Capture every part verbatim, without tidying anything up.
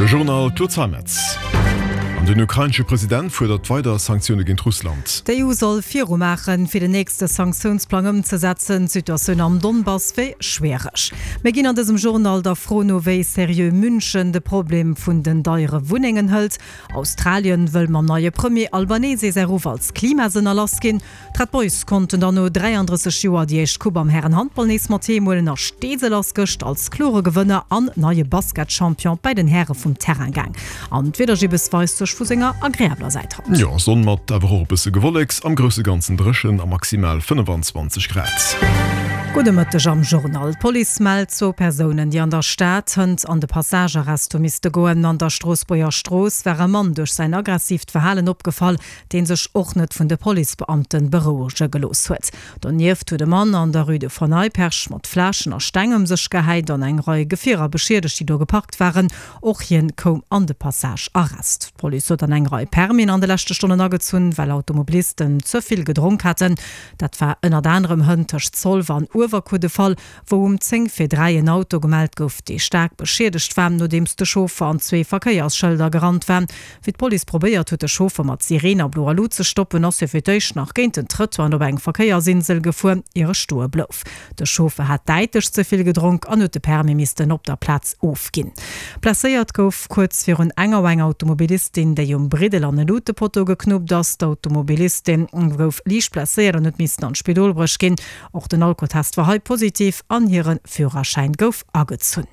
De Journal Claude Zeimetz. An den ukrainesche President fuerdert weider Sanktioune géint Russland. D'EU soll virumaachen, fir den nächste Sanktiounsplang ëmzesetzen. D'Situatioun am Donbass wier schwiereg. Mir ginn an dësem Journal der Fro no, wéi seriö München de Problem vun den deiere Wunnengen hëlt. Australien wëll mam neie Premier Albanese säi Ruff als Klimasënner lassginn. D'Red Boys konnten dann no dräiandrësseg Joer déi éischt Coupe am Härenhandball nees mat heem huelen a Steesel ass gëscht als klore Gewënner an neie Basketchampion bei den Häre vum Terrain gaang. An d'Wiedergibbes weist sech vu senger agreabler Säit haut. Jo, Sonn mat awer och e bësse Gewolleks, am grousse Ganzen dréchen a maximal fënnefanzwanzeg Grad. Gudde Mëtteg am Journal. D'Police mellt zwou Persounen, déi an der Stad hënt an de Passagearrest hu misste goen. An der Stroossbuerger Strooss war e Mann duerch säin aggressiivt Verhalen opgefall, dee sech och net vun de Policebeamte berouege gelooss huet. Donieft huet e Mann an der Rue de Vernayperch mat Fläschen a Steng ëm sech gehäit an eng Rei Gefierer beschiedegt, déi do geparkt waren. Och hien koum an de Passagearrest. D'Police huet dann eng Rei Permisen an de leschte Stonnen agezunn, well Automobilisten ze vill gedronk haten. Dat war ënnert anerem hënt tëscht Zolwer an Uewerkuer de Fall, wou um zéng vir dräi en Auto gemellt gouf, dee staark beschiedegt war, nodeems de Chauffer an zwee Verkéiersschëlder gerannt war. Wéi d'Police probéiert huet, de Chauffer mat Sireen a bloer Lut ze stoppen, ass hie fir d'éischt nach géint den Trëttoir an op eng Verkéiersinsel gefuer, ier e stoe blouf. De Chauffer hat däitlech ze vill gedronk an huet de Permis missten op der Plaz ofginn. Blesséiert gouf kuerz virun eng Auer eng Automobilistin, déi um Briddel an e Lutepotto geknuppt ass. D'Automobilistin gouf liicht blesséiert an huet missten an d'Spidol bruecht ginn. Och den Alkotest war hei positiv an hire Führerschäin gouf agezunn.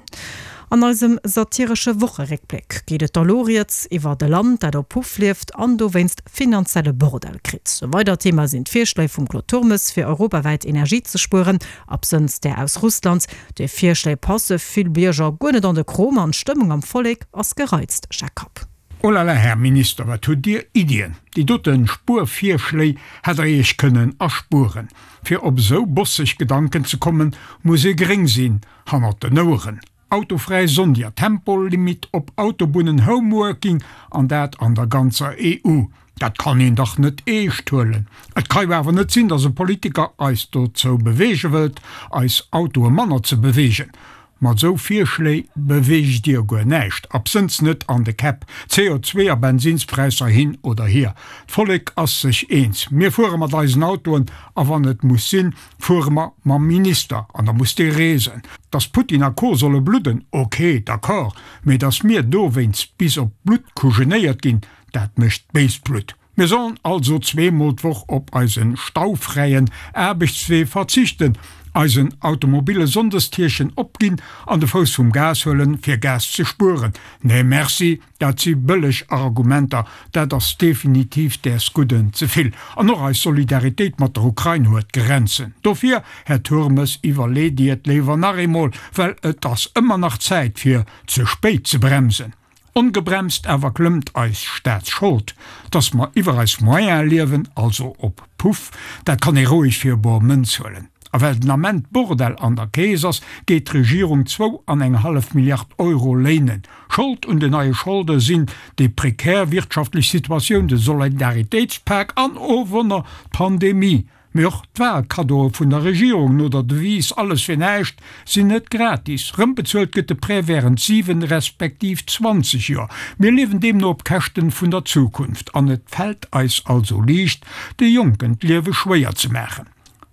An eisem satiresche Wocheréckbléck geet et da lo rieds iwwert e Land, dat op Puff lieft an dowéinst finanzielle Bordell kritt. E weidert Thema sinn d'Virschléi vum Claude Turmes, fir europawäit Energie ze spueren, absënns där aus Russland. Déi Virschléi passe vill Bierger guer net an de Krom an d'Stëmmung am Vollek ass gereizt. Jacques Kapp. Oh la la, Här Minister, wat hutt Dir Iddien! Déi doten Spuervirschléi hätt Der Iech kënnen erspueren. Fir op esou bosseg Gedanken ze kommen, muss ee gréng sinn hannert den Oueren. Autofräi Sonndier, Tempolimit op Autobunnen, Homeworking, an dat an der ganzer E U. Dat kann een dach net eescht huelen. Et ka jo awer net sinn, datt e Politiker eis dozou beweege wëllt, eis Autoe manner ze beweegen. Mat esou Virschléi beweegt Dir guer näischt, absënns net an de Käpp. C O zwee a Bensinspräisser hin oder hier, d'Vollek ass sech eens, mir fuere mat eisen Autoen a wann et muss sinn, fuere mer mam Minister an da muss dee reesen. Dass Putin a Co solle bludden, ok, d'accord, mee dass mir dowéinst bis op d'Blutt kujenéiert ginn, dat mécht béist Blutt. Mir sollen also zweemol d'Woch op eise staufräien Aarbechtswee verzichten, eisen automobile Sonndestierchen opginn an de Fouss vum Gas huelen, fir Gas ze spueren? Nee merci, dat si bëlleg Argumenter, dat ass definitiv däers Gudden ze vill. An och eis Solidaritéit mat der Ukrain huet Grenzen. Dofir, Här Turmes, iwwerleet Dir et léiwer nach eemol, well et ass ëmmer nach Zäit fir ze spéit ze bremsen. Ongebremst awer klëmmt eis Staatsschold. Dass mer iwwer eis Moyene liewen, also op Puff, dat kann ee roueg fir bor Mënz huelen. A well den Ament Bordell an der Keess ass, geet d'Regierung zwou an eng hallef Milliard Euro léinen. Schold un den neie Scholde sinn déi prekär wirtschaftlech Situatioun, de Solidaritéitspak an, oh Wonner, d'Pandemie. Mee och d'Wahlkaddoe vun der Regierung no der Devise alles fir näischt sinn net gratis. Rëmbezuelt gëtt de Prêt wärend siwen respektiv zwanzeg Joer. Mir liewen deemno op Käschten vun der Zukunft an et fält eis also liicht, de Jonken d'Liewe schwéier ze maachen.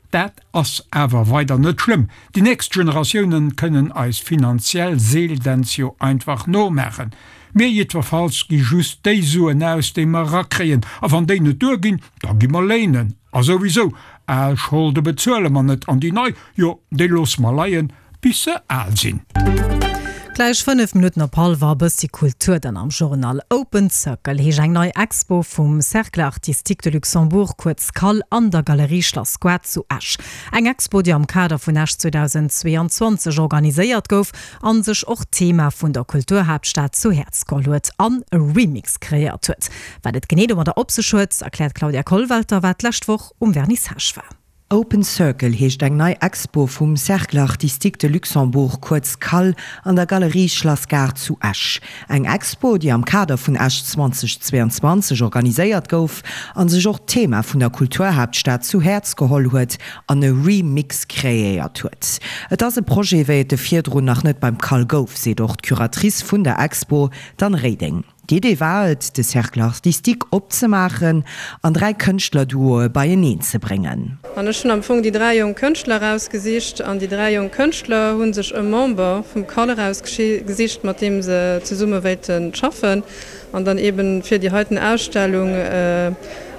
Dat ass awer weider net schlëmm, déi nächst Generatiounen kënnen eis finanziell Seeldänz jo einfach nomaachen. Mir jiddwerfalls gi just déi Suen aus, déi mer erakréien, a wann déi net duerginn, da gi mer léinen. A souwisou, al Scholde bezuele mer net, an déi nei, jo, déi loosse mer leien, bis se al sinn. Gläich fënnef Minutten op hallwer, e bëssi Kultur dann am Journal. Open Circle heescht eng nei Expo vum Cercle Artistique de Luxembourg, kuerz CAL, an der Galerie Schlass Goart zu Esch. Eng Expo, déi am Kader vun Esch zweedausendzweeanzwanzeg organiséiert gouf an sech och d'Thema vun der Kulturhaaptstad zu Häerz geholl huet an e Remix kreéiert huet. Wat et genee domadder op sech huet, erkläert d'Claudia Kollwelter, wat d'lescht Woch um Vernissage war. Open Circle heescht eng nei Expo vum Cercle Artistique de Luxembourg, kuerz CAL, an der Galerie Schlass Gaart zu Esch. Eng Expo, déi am Kader vun Esch zweitausendzweiundzwanzeg organiséiert gouf a sech och d'Thema vun der Kulturhaaptstad zu Häerz geholl huet an e Remix kreéiert huet. Et ass e Projet, wéi et e virdrun nach net beim CAL gouf, seet och d'Curatrice vun der Expo, d'Anne Reding. D'Idee war et, de Cercle artistique opzemaachen an dräi Kënschtlerduoe beieneen ze bréngen. An ech hunn am Fong déi dräi jonk Kënschtler erausgesicht an déi dräi jonk Kënschtler hu sech e Member vum CAL erausgesicht, mat deem se zesumme wéilten schaffen an dann eben fir déi heiten Ausstellung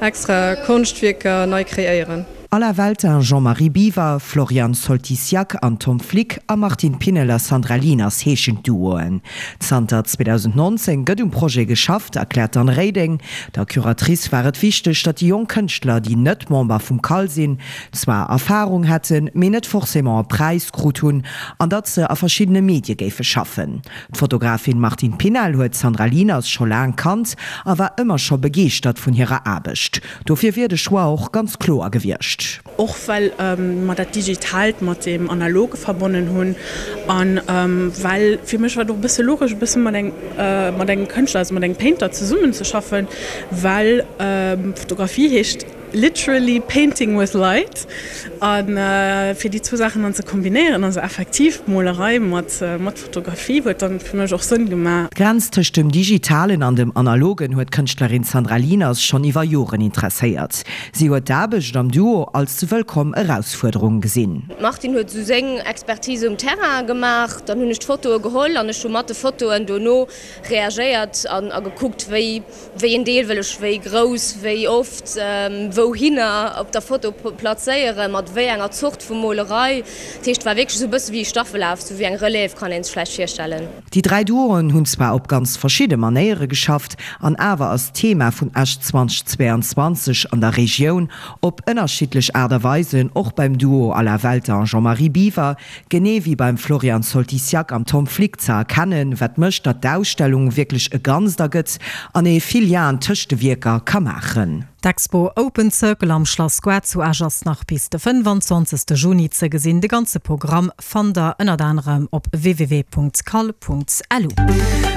extra Konschtwierker nei kreéieren. Alain Weltin, Jean-Marie Biwer, Florian Soltysiak an Tom Flick a Martine Pinnel a Sandra Lieners heeschen d'Duoen. Zanter zweedausendnonzéng gëtt um Projet geschafft, erkläert d'Anne Reding. Der Curatrice war et wichteg, datt déi jonk Kënschtler, déi net Member vum CAL sinn, zwar Erfarung hätten, mee net forcément e Präis krut hunn an datt se a verschiddene Medie géife schaffen. D'Fotografin Martine Pinnel huet d'Sandra Lieners scho laang kannt a war ëmmer scho begeeschtert vun hirer Aarbecht. Dofir wier de Choix och ganz kloer gewiescht. Och well mer dat Digitaalt mat deem Analoge verbonnen hunn an well fir mech war et och e bësse logesch, e bësse mat engem, mat engem Kënschtler, also mat engem Painter zesummenzeschaffen, well Fotografie heescht literally painting with light a fir déi zwou Saachen dann ze kombinéieren, also effektiv Molerei mat mat Fotografie, huet dann fir mech och Sënn gemaach. D'Grenz tëscht dem Digitalen an dem Analogen huet d'Kënschtlerin Sandra Lieners schonn iwwer Joren interesséiert. Si huet d'Aarbecht am Duo als wëllkomm Erausfuerderung gesinn. D'Martine huet esou seng Expertise um Terrain gemaach, dann hunn ech d'Fotoe geholl an ech hu mat de Fotoen dono reagéiert an a gekuckt, wéi wéi een Deel wëll ech wéi grouss, wéi oft, wouhinner op der Foto plazéieren, mat wéi enger Zort vu Molerei. Dat heescht, et war wierklech esou e bësse wéi e Staffelaf, esou wéi eng Relève kann ee sech vläicht virstellen. Déi dräi Duoen hunn zwar op ganz verschidde Manéiere geschafft, an awer ass d'Thema vun Esch zweitausendzweiundzwanzeg an der Regioun op ënnerschiddlech Aart a Weisen och beim Duo Alain Welter an Jean-Marie Biwer, genee wéi beim Florian Soltysiak an Tom Flick ze erkennen, wat mécht, datt d'Ausstellung wierklech e Ganzt ergëtt an ee vill Lienen tëscht de Wierker ka maachen. D'Expo Open Circle am Schlass Goart zu Esch ass nach bis de fënnwanzwanzegste Juni ze gesinn. De ganze Programm fannt der ënnert anerem op www.cal.lu.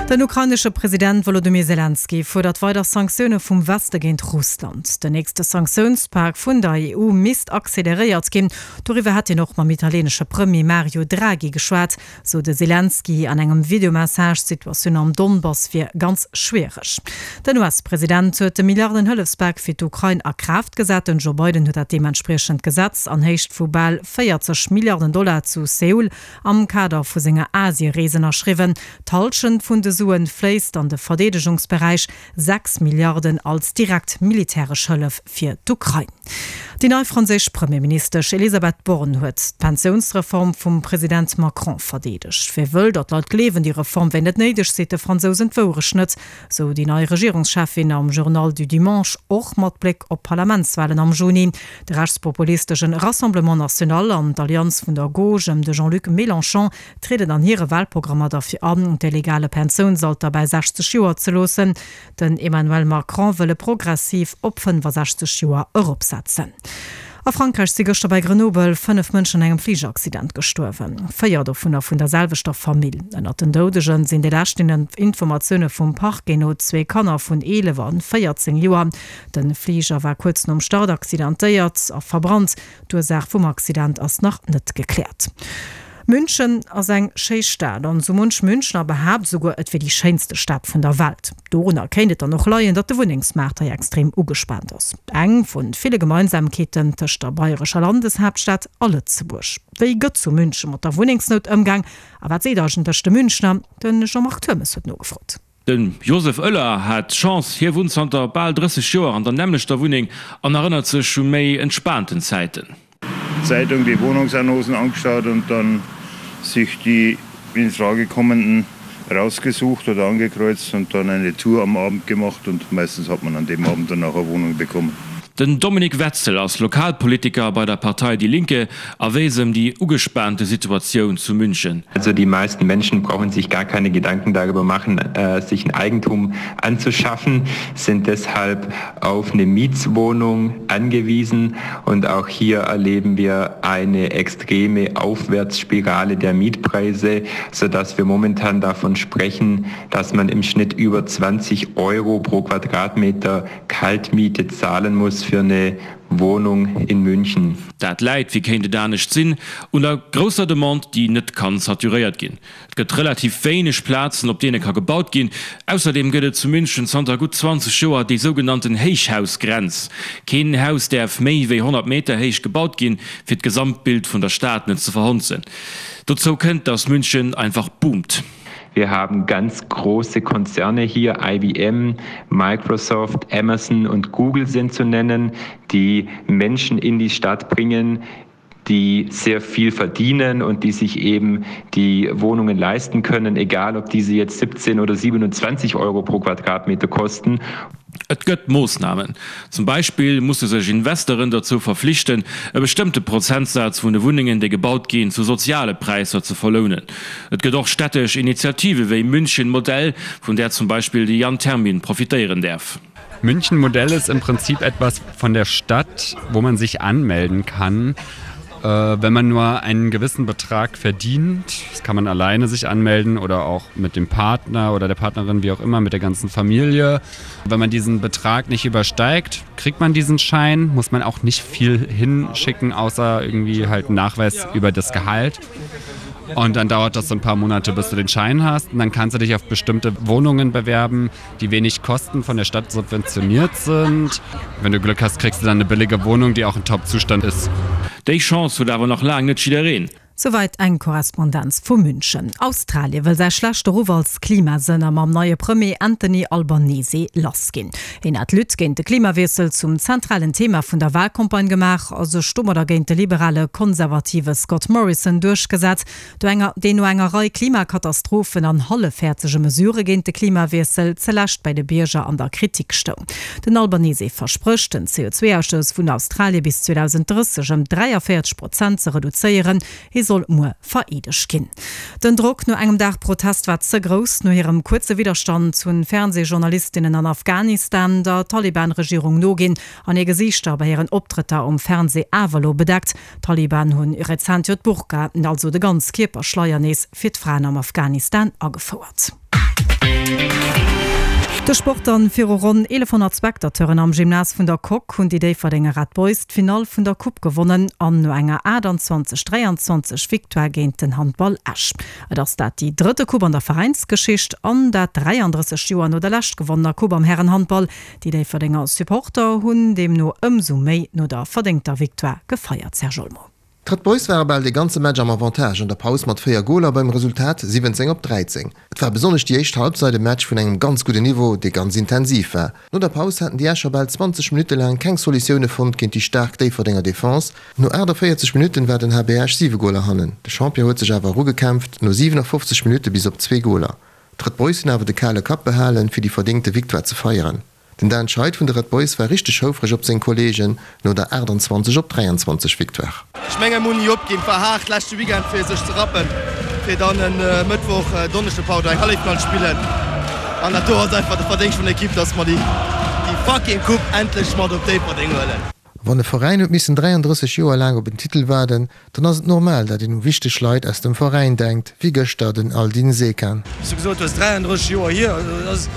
Den ukrainesche President Wolodymyr Selenskyj fuerdert weider Sanktioune vum Weste géint Russland. Den nächste Sanktiounspak vun der E U misst acceleréiert ginn. Doriwwer hätt hien och mam italieenesche Premier Mario Draghi geschwat, sou de Selenskyj an engem Videomessage. D'Situatioun am Donbass wier ganz schwiereg. Den U S-President huet de Milliarden-Hëllefspak fir d'Ukrain a Kraaft gesat. Den Joe Biden huet dat deementspriechend Gesetz an Héicht vu bal véierzeg Milliarden Dollar zu Seoul am Kader vu senger Asie-Rees ënnerschriwwen. D'Hallschent vun de Suen fléisst an de Verdeedegungsberäich, sechs Milliarden als direkt militäresch Hëllef fir d'Ukrain. Déi nei franséisch Premierministesch Elisabeth Borne huet d'Pensiounsreform vum President Macron verdeedegt. Wie wëll, datt d'Leit gleewen, déi Reform wär net néideg, seet de Fransousen d'Wourecht net, sou déi nei Regierungscheffin am Journal du Dimanche, och mat Bléck op d'Parlamentswalen am Juni. De rechtspopulistesche Rassemblement National an d'Allianz vun der Gauche ëm de Jean-Luc Mélenchon trieden an hire Walprogrammer derfir an, de legale Pensiounsalter bei sechzeg Joer ze loossen. Den Emmanuel Macron wëll e progressiv op fënnefasechzeg Joer eropsetzen. A Frankräich si gëschter bei Grenoble fënnef Mënschen an engem Fligeraccident gestuerwen, véier dovunner vun der selwechter Famill. Ënnert den Doudegen sinn de leschten Informatioune vum Parquet no zwee Kanner vun eelef an véierzéng Joer. De Fliger war kuerz nom Start accidentéiert a verbrannt. D'Ursaach vum Accident ass nach net gekläert. München ass eng schéi Stad an sou munch Münchner behaapt souguer, et wier déi schéinste Stad vun der Welt. Dorunner kéint et dann och leien, datt de Wunnengsmaart hei extrem ugespaant ass. Eng vun ville Gemeinsamkeeten tëscht der bayrescher Landeshaaptstad a Lëtzebuerg. Wéi gëtt zu München mat der Wunnengsnout ëmgaang a wat seet eigentlech de Münchner? De Jean-Marc Turmes huet nogefrot. De Josef Oeller hat Chance, hie wunnt zanter bal drësseg Joer an der nämmlechter Wunneng an erënnert sech u méi entspaanten Zäiten. Zeitung die Wohnungsannoncen angeschaut und dann sich die in Frage kommenden rausgesucht oder angekreuzt und dann eine Tour am Abend gemacht und meistens hat man an dem Abend dann auch eine Wohnung bekommen. Den Dominik Wetzel ass Lokalpolitiker bei der Partei Die Linke a weess ëm déi ugespaante Situatioun zu München. Also die meisten Menschen brauchen sich gar keine Gedanken darüber machen, sich ein Eigentum anzuschaffen, sind deshalb auf eine Mietswohnung angewiesen und auch hier erleben wir eine extreme Aufwärtsspirale der Mietpreise, sodass wir momentan davon sprechen, dass man im Schnitt über zwanzig Euro pro Quadratmeter Kaltmiete zahlen muss für eine Wohnung in München. Dat läit, wéi kéint et anescht sinn, un der grousser Demande, déi net kann saturéiert ginn. Et gëtt relativ wéineg Plazen, op deene ka gebaut ginn. Ausserdeem gëtt et zu München zanter gutt zwanzeg Joer déi sougenannten Héichhausgrenz. Keen Haus däerf méi wéi honnert Meter héich gebaut ginn, fir d'Gesamtbild vun der Stad net ze verhonzen. Dozou kënnt, datt München einfach boomt. Wir haben ganz große Konzerne hier, I B M, Microsoft, Amazon und Google sind zu nennen, die Menschen in die Stadt bringen, die sehr viel verdienen und die sich eben die Wohnungen leisten können, egal ob diese jetzt siebzehn oder siebenundzwanzig Euro pro Quadratmeter kosten. Et gëtt Moossnamen. Zum Beispill musse sech Investeuren dozou verflichten, e bestëmmte Prozentsaz vun de Wunnengen, déi gebaut ginn, zu soziale Präisser ze verlounen. Et gëtt och städtesch Initiative wéi München Modell, vun där zum Beispill de Jan Termin profitéieren däerf. München Modell ist im Prinzip etwas von der Stadt, wo man sich anmelden kann, wenn man nur einen gewissen Betrag verdient. Das kann man alleine sich anmelden oder auch mit dem Partner oder der Partnerin, wie auch immer, mit der ganzen Familie. Wenn man diesen Betrag nicht übersteigt, kriegt man diesen Schein, muss man auch nicht viel hinschicken, außer irgendwie halt einen Nachweis über das Gehalt. Und dann dauert das so ein paar Monate, bis du den Schein hast. Und dann kannst du dich auf bestimmte Wohnungen bewerben, die wenig kosten, von der Stadt subventioniert sind. Wenn du Glück hast, kriegst du dann eine billige Wohnung, die auch in Top-Zustand ist. Déi Chance huet awer nach laang net jiddereen. Souwäit eng Korrespondenz vu München. Australie wëll säi schlechte Ruff als Klimasënner mam neie Premier Anthony Albanese lassginn. Hien hat d'Lutte géint de Klimawiessel zum zentralen Thema vun der Walcampagne gemaach a sech domadder géint de liberale Konservative Scott Morrison duerchgesat, deen no enger Rei Klimakatastrophen an hallefhäerzege Mesurë géint de Klimawiessel zelescht bei de Bierger an der Kritik stoung. Den Albanese versprécht, den C O zwei Ausstouss vun Australie bis zweitausenddrësseg ëm dräiavéierzeg Prozent ze reduzéieren. Hie soll muer vereedegt ginn. Den Drock no engem Dag Protest war ze grouss. No hirem kuerze Widerstand hunn Fernsehjournalistinnen an Afghanistan der Taliban-Regierung noginn an hir Gesiichter bei hiren Optrëtter um Fernseh awer lo bedeckt. D'Taliban hunn rezent jo d'Burka, also de Ganzkierperschleier nees fir d'Fraen am Afghanistan agefouert. De Sport dann viru ronn eelefhonnert Spectateuren am Gymnas vun der Coque hunn déi Déifferdenger Red Boys d'Finall vun der Coupe gewonnen an no enger achtundzwanzeg dräiandzwanzeg Victoire géint den Handball Esch. Et ass dat déi drëtte Coupe an der Veräinsgeschicht an dat dräianddrësseg Joer no der lescht gewonnener Coupe am Herrenhandball. Déi Déifferdenger Supporter hunn deemno ëmsou méi no der verdéngter Victoire gefeiert, Serge Olmo. D'Red Boys ware bal de ganze Match am Avantage an der Paus mat véier Goler beim Resultat siwwenzéng op dräizéng. Et war besonnesch déi éischt Halbzeit e Match vun engem ganz gudden Niveau, dee ganz intensiv war. No der Paus haten déi Escher bal zwanzeg Minutte laang keng Solutioune fonnt géint déi staark Déifferdenger Defense. No aachtavéierzeg Minutten war den H B Esch siwe Goler hannen. De Champion huet sech awer erugekämpft, no siewenafofzeg Minutte bis op zwee Goler. D'Red Boys hunn awer de kale Kapp behalen, fir déi verdéngte Victoire ze feieren. Den Dan Scheid vun de Red Boys war richteg houfreg op seng Kolleegen no der achtundzwanzeg op dräiandzwanzeg Victoire. Ech menge muss nie opginn, war hart leschte Weekend fir sech ze rappen, fir dann en Mëttwoch, Donneschdeg, pardon, eng Halleffinall spillen. An dat do ass einfach de Verdéngscht vun der Equipe, dass mer déi, déi fucking Coupe endlech mat op Déifferdeng huelen. Wann e Veräin huet missen dräianddrësseg Joer laang op en Titel waarden, dann ass et normal, dat een u wichteg Leit aus dem Veräin denkt, wéi gëschter den Aldin Sekan. Wéi s du gesot hues, dräianddrësseg Joer hier, also dat ass,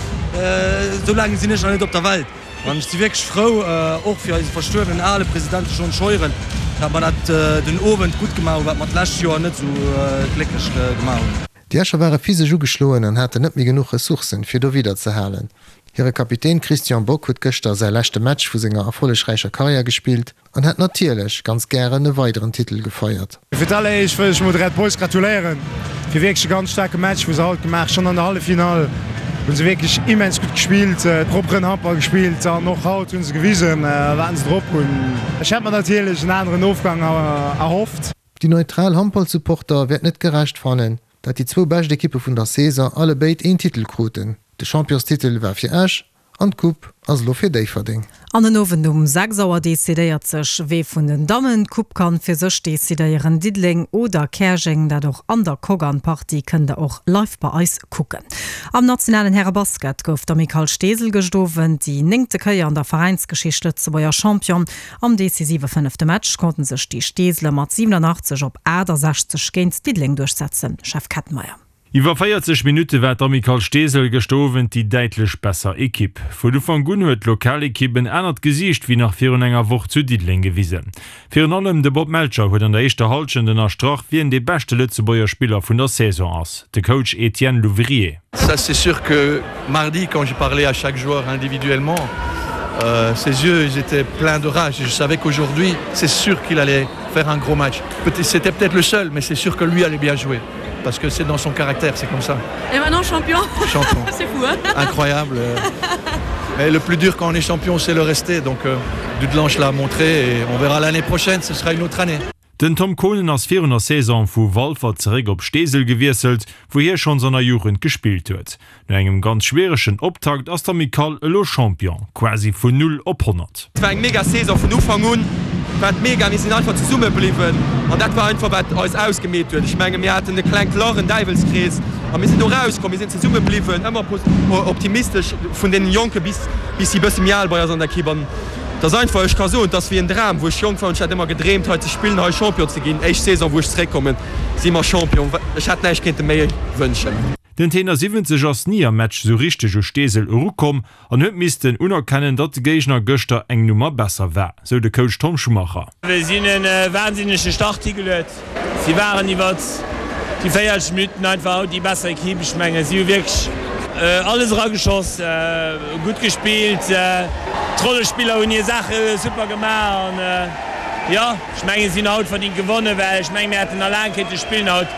esou laang sinn ech nach net op der Welt. An ech si wierklech frou, och fir eise verstuerwenen ale President Jean Scheuren, datt mer dat den Owend gutt gemaach hunn, wat mer d'lescht Joer net esou glécklech gemaach hunn. Déi Escher ware physesch ugeschloen an haten net méi genuch Ressourcen, fir do wieder ze halen. Hire Kapitän Christian Bock huet gëschter säi leschte Match vu senger erfollegräicher Karriär gespillt an hätt natierlech ganz gären e weideren Titel gefeiert. Fir d'alleréischt wëll ech mol de Red Boys gratuléieren fir wierklech e ganz staarke Match, wou se haut gemaach schonn an der Halleffinall hunn se wierklech immens gutt gespillt, propperen Handball gespillt an och haut hunn se gewisen, wat se drop hunn. Ech hätt mer natierlech en aneren Ofgang erhofft. Déi neutral Handballsupporter wäert net gerecht fannen, dat déi zwou bescht Ekippe vun der Saison allebéid een Titel kruten. De Championstitel war fir Esch an d'Coupe ass elo fir Déifferdeng. An den Owend um sechs Auer decidéiert sech, wee vun den Dammen d'Coupe kann fir sech decidéieren, Diddeleng oder Käerjeng. Dat och an der Coque an d'Partie kënnt der och live bei eis kucken. Am nationalen Härebasket gouf d'Amicale Steesel gëscht Owend déi néngte Kéier an der Veräinsgeschicht Lëtzebuerger Champion. Am decisive fënnefte Match konnten sech déi Steeseler mat siwenanachtzeg op aachtasechzeg géint Diddeleng duerchsetzen. Jeff Kettenmeyer. Iwwer véierzeg Minutte war d'Amicale Steesel gëscht Owend déi däitlech besser Ekipp. Vun Ufank un huet d'Lokalekipp en anert Gesiicht wéi nach virun enger Woch zu Diddeleng gewisen. Virun allem de Bob Melcher huet an der éischter Hallschent ënnerstrach, wien dee beschte Lëtzebuerger Spiller vun der Saison ass, de Coach Etienne Louvrier. Ça c'est sûr que mardi quand j'ai parlé à chaque joueur individuellement, euh, ses yeux ils étaient pleins de rage et je savais qu'aujourd'hui c'est sûr qu'il allait faire un gros match. C'était peut-être le seul, mais c'est sûr que lui allait bien jouer parce que c'est dans son caractère, c'est comme ça. Et maintenant champion, champion. C'est fou hein Incroyable. Mais le plus dur quand on est champion, c'est le rester. Donc euh, Dudelange l'a montré et on verra l'année prochaine, ce sera une autre année. Den Tom Konen ass virun der Saison vu Walfer zeréck op Steesel gewiesselt, wou hie schonns an der Jugend gespillt huet. No engem ganz schwieregen Optakt ass d'Amicale elo Champion, quasi vun null op honnert. Et war eng mega Saison vun Ufank un, war et mega, mir sinn einfach zesumme bliwwen an dat war einfach wat eis ausgemeet huet. Ech menge mir haten e klengt Lach, en Däiwelskrees a mir sinn do rauskomm, mir sinn zesumme bliwwen, ëmmer optimistesch vun deenen Jonke bis bis déi bësse méi al bei eis an der Ekipp an et ass einfach, ech ka soen, et ass wéi en Dram, wou ech jonk war hunn ech dat ëmmer gedreemt hei ze spillen, hei Champion ze ginn. Éischt Saison wou ech zeréckkommen si mer Champion, ech hätt näischt kéinte méi wënschen. Den Tenor siwwenzeg ass ni am Match sou richteg u Steesel erukomm an huet missten unerkennen, datt de Géigner gëschter eng Nummer besser war, sou de Coach Tom Schumacher. Si hunn e wahnsinnege Start higeluet. Si waren iwwert déi véierzeg Minutten einfach haut déi besser Ekipp. Ech mengen, si hu wierklech alles erageschoss, gutt gespillt. D'Rollespiller hunn hir Saache super gemaach an jo, ech mengen, si hunn haut verdingt gewonnen, well ech mengen, mir hätten nach laang kéinte spillen haut.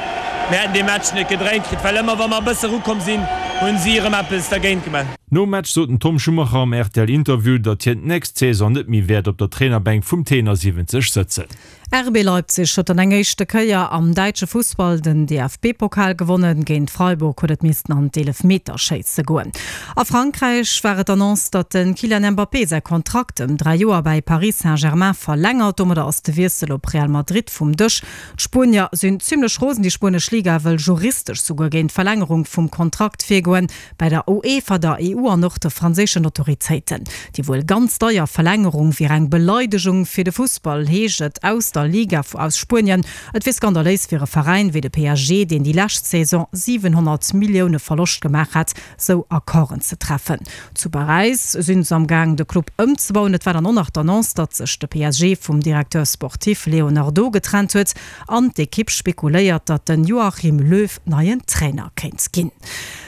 Mir hätten dee Match net gedréint kritt, well ëmmer wa mer e bësse erukomm sinn, hunn si erëm eppes dergéint gemaach. Nom Match sot den Tom Schumacher am R T L-Interview, datt hien d'nächst Saison net méi wäert op der Trainerbänk vum Tenor siwwenzeg sëtzen. R B Leipzig huet dann eng éischte Kéier am däitsche Fussball den D F B-Pokal gewonnen. Géint Freiburg huet et missten an d'Eelefmeterschéisse goen. A Frankräich war et d'Annonce, datt de Kylian Mbappé säi Kontrakt ëm dräi Joer bäi Paris Saint-Germain verlängert. Domadder ass de Wiessel op Real Madrid vum Dësch. D'Spuenier sinn zimmlech rosen. Déi spuenesch Liga wëll juristesch souguer géint d'Verlängerung vum Kontrakt virgoen, bei der UEFA, der E U an och de franséischen Autoritéiten. Déi wuel ganz deier Verlängerung wier eng Beleidegung fir de Fussball, heescht et aus der Liga aus Spuenien. Et wier skandaléis fir e Veräin wéi de P S G, deen déi lescht Saison siwenhonnert Millioune Verloscht gemaach hat, sou Accorden ze treffen. Zu Paräis sinn se am Gaang de Club ëmzebauen. Et war dann och nach d'Annonce, datt sech de P S G vum Directeur sportif Leonardo getrennt huet an d'Ekipp spekuléiert, datt den Joachim Löw neien Trainer kéint ginn.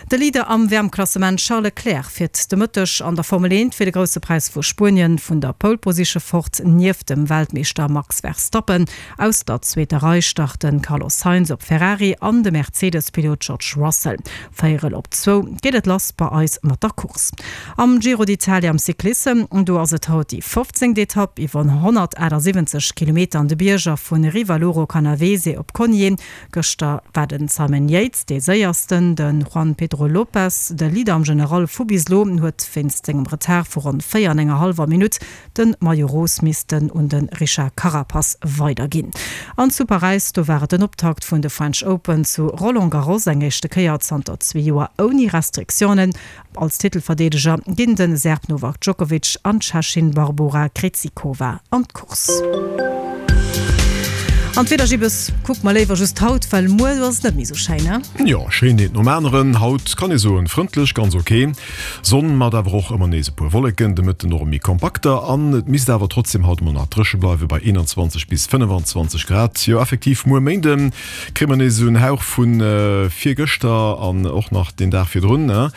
De Leader am W M-Klassement Charles Leclerc fiert de Mëtteg an der Formel eent fir de Grousse Präis vu Spuenien vun der Pole Position fort nieft dem Weltmeeschter Max Verstappen. Aus der zweeter Rei starten Carlos Sainz op Ferrari an de Mercedes-Pilot George Russell. Véierel op zwou geet et lass bei eis mat der Course. Am Giro d'Italia am Cyclissem, do ass et haut déi fofzéngt Etapp iwwer honnertaachtsiwwenzeg Kilometer an de Bierger vu Rivaloro Canavese op Cogne. Gëschter war den Simon Yates dee Séiersten, de Juan Pedro Lopez, de Leader am General vu bis elo, huet wéinst sengem Retard vu ronn véier an enger hallwer Minutt de Maillot Rose missten un de Richard Carapaz weiderginn. An zu Paräis, do war et den Optakt vun de French Open zu Roland Garros, eng éischte Kéier zanter zwee Joer ouni Restriktiounen. Als Titelverdeedeger ginn de Serb Novak Djokovic an d'Tschechin Barbora Krejcikova an d'Course. An d'Wieder, Gibbes, kucke mer léiwer just haut, well muer ass et net méi sou schéin, ne? Jo, schéin eent nom aneren. Haut kann ee soen, frëndlech, ganz ok. Sonn mat awer och ëmmer nees e puer Wolleken, de Mëtten och méi kompakter an et misst awer trotzdem haut mol nach dréche bleiwe bei eenanzwanzeg bis fënnefanzwanzeg Grad. Jo, effektiv, muer Méinde kréie mer nees esou en Hauch vu virgëschter an och nach den Dag virdrun, ne?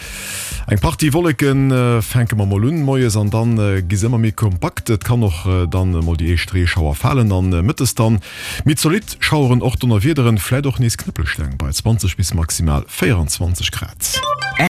Eng Partie Wolleken fänke mer mol un moies an dann gi se ëmmer méi kompakt. Et kann och dann mol déi éischt Reeschauer falen an mëttes dann méi zolidd Schaueren, och Donnerwiederen, vläit och nees Knëppelsteng bei zwanzeg bis maximal véieranzwanzeg Grad.